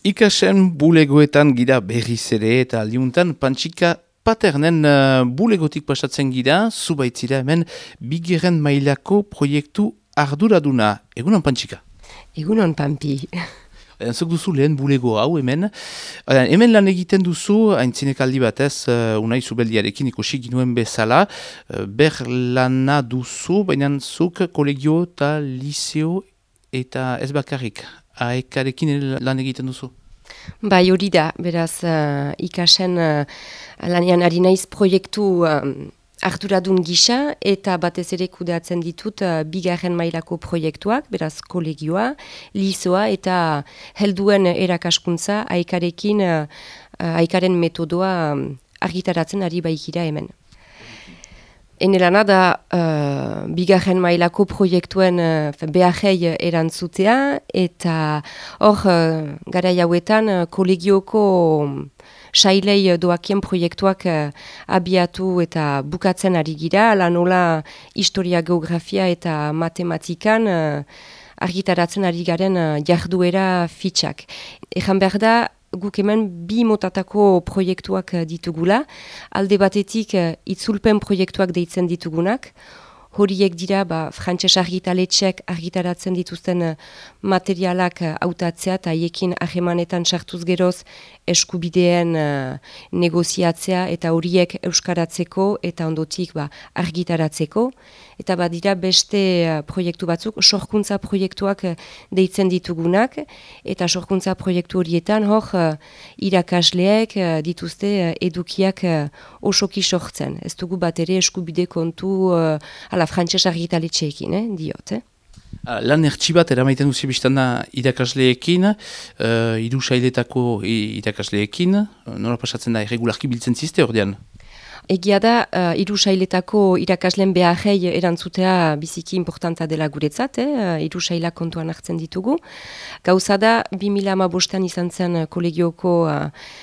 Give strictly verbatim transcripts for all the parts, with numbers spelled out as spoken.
Ikasen bulegoetan gira berriz ere eta aldiuntan Pantxika Paternen uh, bulegotik pasatzen gira, zubaitzira hemen bigeren mailako proiektu arduraduna. Egunon Pantxika? Egunon Pampi. Zuk duzu lehen bulego hau hemen. Hemen lan egiten duzu, haintzinekaldi batez, uh, unai zubeldiarekin ikusi ginuen bezala, uh, ber lana duzu, baina zuk kolegio eta liseo eta ez bakarrik. Aekarekin lan egiten duzu? Bai, hori da, beraz, uh, ikasen uh, lanean ari naiz proiektu uh, arduradun gisa eta batez ere kudeatzen ditut uh, bigarren mailako proiektuak, beraz kolegioa, lisoa eta helduen erakaskuntza aekarekin, uh, uh, aekaren metodoa um, argitaratzen ari baikira hemen. Ene lana da uh, bigarren mailako proiektuen uh, beharrei erantzutea eta hor uh, garai hauetan uh, kolegioko sailei doakien proiektuak uh, abiatu eta bukatzen ari gira, ala nola historia, geografia eta matematikan uh, argitaratzen ari garen uh, jarduera fitxak. Ejan behar da, guk hemen bi motatako proiektuak ditugula, alde batetik itzulpen proiektuak deitzen ditugunak, horiek dira ba, frantses argitaletxek argitaratzen dituzten materialak hautatzea eta haiekin ahemanetan sartuz geroz eskubideen uh, negoziatzea eta horiek euskaratzeko eta ondotik ba, argitaratzeko. Eta badira beste uh, proiektu batzuk, sorkuntza proiektuak uh, deitzen ditugunak, eta sorkuntza proiektu horietan hor uh, irakasleek uh, dituzte uh, edukiak uh, osoki sortzen. Ez dugu bat ere eskubide kontu uh, ala frantses argitaletxeekin, eh, diot, eh? Lan ertsi bat eramaiten duzi biztanda irakasleekin, uh, hiru sailetako irakasleekin, nola pasatzen da irregularki biltzen ziste ordean? Egia da, uh, hiru sailetako irakasleen beharrei erantzutea biziki importanta dela guretzat, eh? Hiru sailak kontuan hartzen ditugu. Gauza da, bi mila hamabostean izan zen kolegioko uh,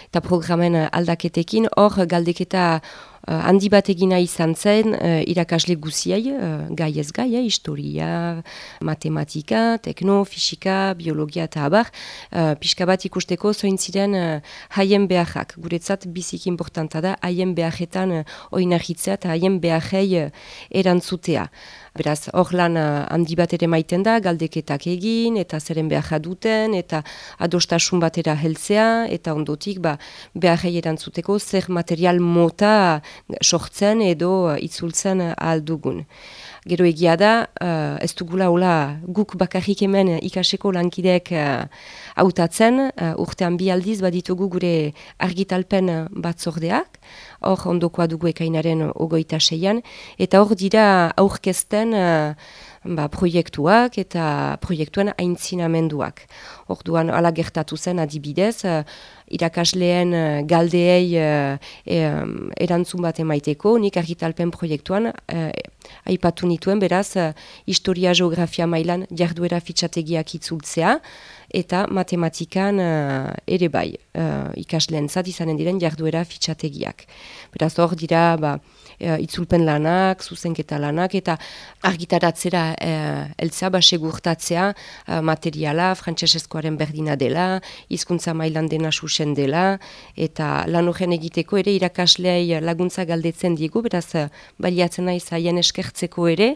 eta programen aldaketekin, hor galdeketa Uh, handi bat egina izan zen uh, irakasle guziei, uh, gai ez gai, eh, historia, matematika, tekno, fisika, biologia eta abar, uh, pixka bat ikusteko zoin ziren uh, haien beharrak. Guretzat biziki importanta da haien beharretan uh, oinarritzea eta haien beharrei uh, erantzutea. Beraz, hor lan uh, handi bat ere maiten da, galdeketak egin, eta zeren beharra duten, eta adostasun batera heltzea, eta ondotik ba, beharrei erantzuteko zer material mota sortzen edo uh, itzultzen uh, ahal dugun. Gero egia da, uh, ez dugula hola guk bakarrik hemen ikaseko lankideek uh, hautatzen, uh, urtean bi aldiz baditugu gure argitalpen batzordeak, hor ondokoa dugu ekainaren ogoita seian, eta hor dira aurkezten uh, ba, proiektuak eta proiektuen aintzinamenduak. Orduan ala gertatu zen adibidez, uh, irakasleen uh, galdeei uh, e, um, erantzun bat emaiteko, nik argitalpen proiektuan uh, aipatu nituen, beraz, uh, historia, geografia mailan jarduera fitxategiak itzultzea, eta matematikan uh, ere bai, uh, ikasleen zat izanen diren jarduera fitxategiak. Beraz, hor dira, ba, uh, itzulpen lanak, zuzenketa lanak, eta argitaratzera uh, eltza, ba, segurtatzea uh, materiala, frantsesezkoaren berdina dela, hizkuntza mailan dena susen dela, eta lan horren egiteko ere irakasleei laguntza galdetzen diegu, beraz, uh, baliatzen naiz haien eskertzeko ere,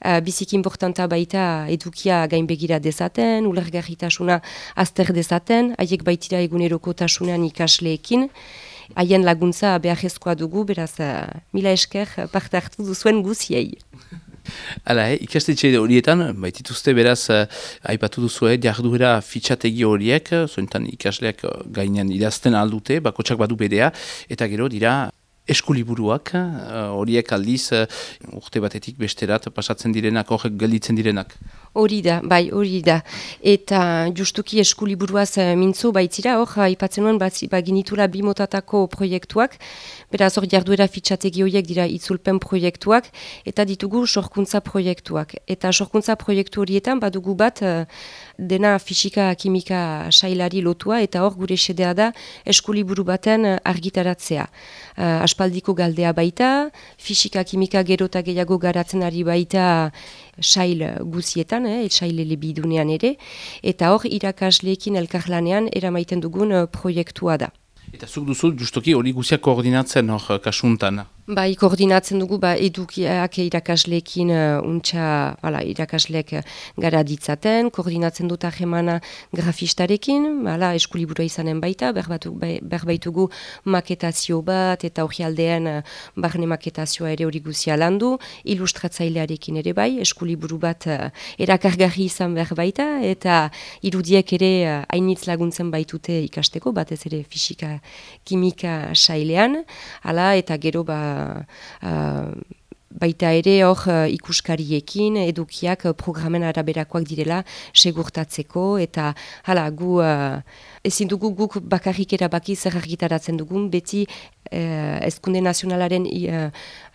uh, biziki importanta baita edukia gainbegira dezaten, ulergarritasuna azter dezaten, haiek baitira egunerokotasunean ikasleekin, haien laguntza beharrezkoa dugu, beraz, uh, mila esker parte hartu duzuen guziei. Hala, eh, ikastetxe horietan, baitituzte beraz, uh, aipatu duzu, eh, jarduera fitxategi horiek, zointan ikasleak gainean idazten aldute, bakotsak badu bedea, eta gero dira eskuliburuak, horiek uh, aldiz uh, urte batetik besterat pasatzen direnak, horrek gelditzen direnak. Hori da, bai, hori da. Eta justuki eskuliburuaz uh, mintzo baitzira, hor, aipatzen nuen baginitula bi motatako proiektuak, beraz hor jarduera fitxategi horiek dira itzulpen proiektuak, eta ditugu sorkuntza proiektuak. Eta sorkuntza proiektu horietan badugu bat uh, dena fisika, kimika sailari lotua, eta hor gure xedea da eskuliburu baten uh, argitaratzea. Uh, aspaldiko galdea baita, fisika, kimika gero eta gehiago garatzen ari baita sail guzietan, eh, sail elebidunean ere, eta hor irakasleekin elkarlanean eramaiten dugun uh, proiektua da. Eta zuk duzu, justoki hori guziak koordinatzen hor kasuntan? Bai, koordinatzen dugu, ba, edukiak irakasleekin uh, untxa, bala, irakasleek gara ditzaten, koordinatzen dut ahemana grafistarekin, bala, eskulibura izanen baita, berbaitugu maketazio bat, eta hori aldean uh, barne maketazioa ere hori guzia landu, ilustratzailearekin ere bai, eskuliburu bat uh, erakargarri izan berbaita, eta irudiek ere uh, hainitz laguntzen baitute ikasteko, batez ere fisika, kimika sailean, hala, eta gero ba, Uh, baita ere hor uh, ikuskariekin edukiak uh, programen araberakoak direla segurtatzeko eta hala gu uh, ezin dugu guk bakarrik erabaki zer argitaratzen dugun beti uh, Hezkunde Nazionalaren uh,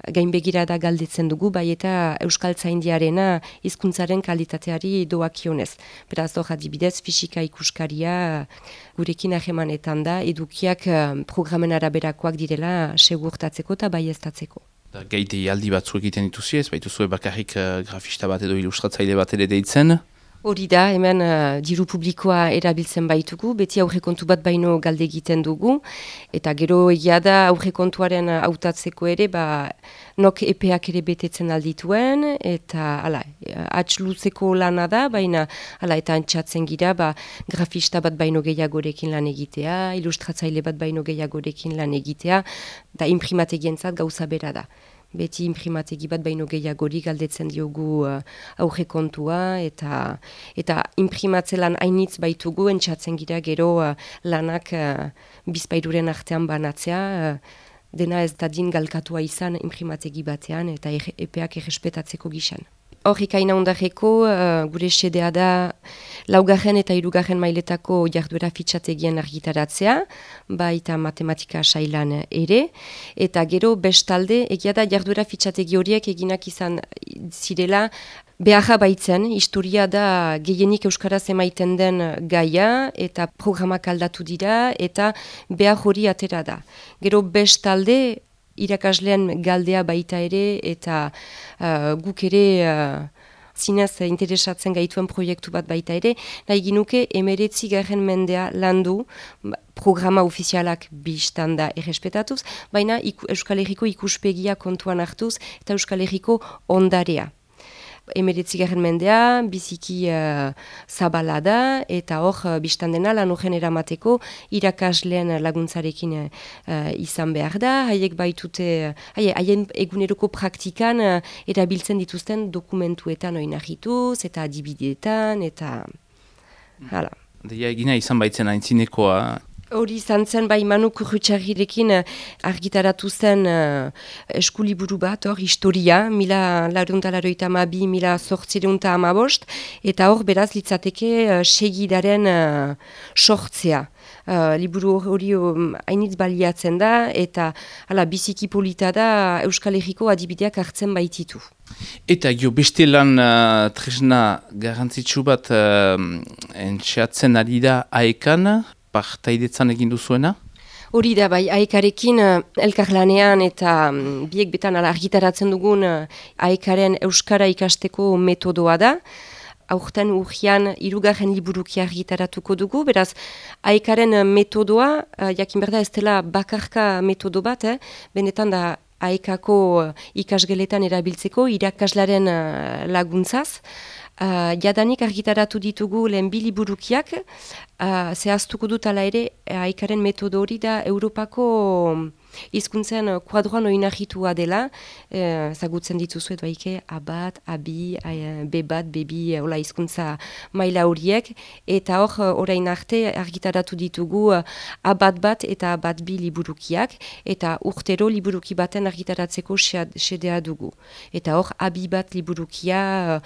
gainbegirada galdetzen dugu bai eta Euskaltzaindiarena hizkuntzaren kalitateari doakionez. Beraz hor adibidez fisika ikuskaria gurekin ahemanetan da edukiak uh, programen araberakoak direla segurtatzeko eta baieztatzeko. Gaite aldi batzu egiten dituzi ez, baituzue bakarrik uh, grafista bat edo ilustratzaile bat ere deitzen? Hori da, hemen uh, diru publikoa erabiltzen baitugu, beti aurrekontu bat baino galde egiten dugu, eta gero egia da aurrekontuaren hautatzeko ere, ba, nok epeak ere betetzen aldituen, eta ala, atx luzeko lana da, baina ala, eta antxatzen gira, ba, grafista bat baino gehiagorekin lan egitea, ilustratzaile bat baino gehiagorekin lan egitea, da imprimategientzat gauza bera da. Beti imprimategi bat baino gehiagori galdetzen diogu uh, aurrekontua eta eta imprimatzelan hainitz baitugu entxatzen gira gero uh, lanak uh, bizpairuren artean banatzea, uh, dena ez dadin galkatua izan imprimategi batean eta er, epeak errespetatzeko gizan. Horrik aina ondareko, uh, gure sedea da laugarren eta hirugarren mailetako jarduera fitxategien argitaratzea, baita matematika sailan ere, eta gero bestalde, egia da jarduera fitxategi horiek eginak izan zirela, beharra baitzen, historia da gehienik euskaraz emaiten den gaia, eta programak aldatu dira, eta behar hori atera da. Gero bestalde, irakasleen galdea baita ere eta uh, guk ere uh, zinez interesatzen gaituen proiektu bat baita ere, nahi ginuke emeretzi garren mendea landu programa ofizialak bistan da errespetatuz, baina iku, Euskal Herriko ikuspegia kontuan hartuz eta Euskal Herriko ondarea. Emeretzigarren mendea, biziki uh, zabala da, eta hor, uh, biztan dena, lan horren eramateko, irakasleen laguntzarekin uh, izan behar da, haiek baitute, haie, haien eguneroko praktikan uh, erabiltzen dituzten dokumentuetan oinarrituz, eta adibideetan, eta hala. Deia egina izan baitzen aintzinekoa. Hori izan zen, bai Manu Kurrutxarrirekin argitaratu zen uh, eskuliburu bat, hor, historia, mila lareunta laroita amabi, mila sortzireunta amabost, eta hor, beraz, litzateke uh, segidaren uh, sortzea. Uh, liburu hori um, hainitz baliatzen da, eta hala, biziki polita da Euskal Herriko adibideak hartzen baititu. Eta gio beste lan uh, tresna garrantzitsu bat uh, entxeatzen ari da aekan, partaidetzan egin duzuena? Hori da, bai, aekarekin uh, elkarlanean eta um, biek betan ala argitaratzen dugun uh, aekaren euskara ikasteko metodoa da. Aurten urrian hirugarren liburuki argitaratuko dugu, beraz, aekaren metodoa, uh, jakin berda ez dela bakarka metodo bat, eh? Benetan da aekako uh, ikasgeletan erabiltzeko irakaslaren uh, laguntzaz. Uh, jadanik argitaratu ditugu lehen bi liburukiak, uh, zehaztuko dut ala ere, aekaren metodo hori da Europako hizkuntzen kuadroan oinarritua dela, eh, zagutzen dituzuet baike A bat, A bi, B bat, B bi, hola hizkuntza maila horiek, eta hor orain arte argitaratu ditugu A bat bat eta A bat bi liburukiak, eta urtero liburuki baten argitaratzeko xedea dugu. Eta hor A bi bat liburukia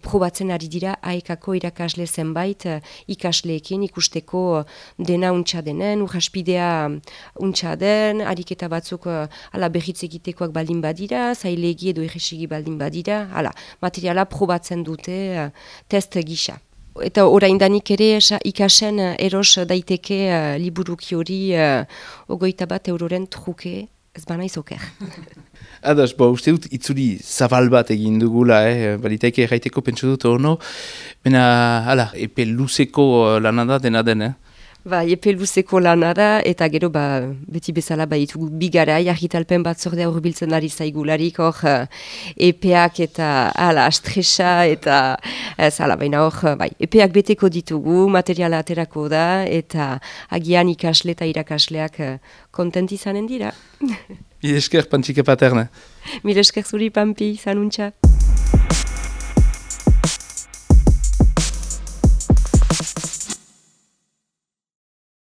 probatzen ari dira aekako irakasle zenbait ikasleekin ikusteko dena untxa denen, urraspidea untxa den, eta batzuk uh, ala berritz egitekoak baldin badira, zailegi edo erresigi baldin badira, ala, materiala probatzen dute uh, test gisa. Eta oraindanik ere ikasen uh, eros daiteke uh, liburuki hori uh, ogoita bat euroren truke ez banaiz oker. Ados, bo, uste dut itzuri zabal bat egin dugula, eh? Balitaike erraiteko pentsu dut ono, bena, hala, epe luzeko lana da dena den, eh? Ba, epe luzeko lana da, eta gero, ba, beti bezala, ba, itugu bigarai, argitalpen bat zordea urbiltzen ari zaigularik, hor, epeak eta, hala, astresa, eta, ez, hala, baina hor, bai, epeak beteko ditugu, materiala aterako da, eta agian ikasle eta irakasleak kontent izanen dira. Mil esker, Pantxika Paterna. Mil esker zuri, Pampi, zanuntza.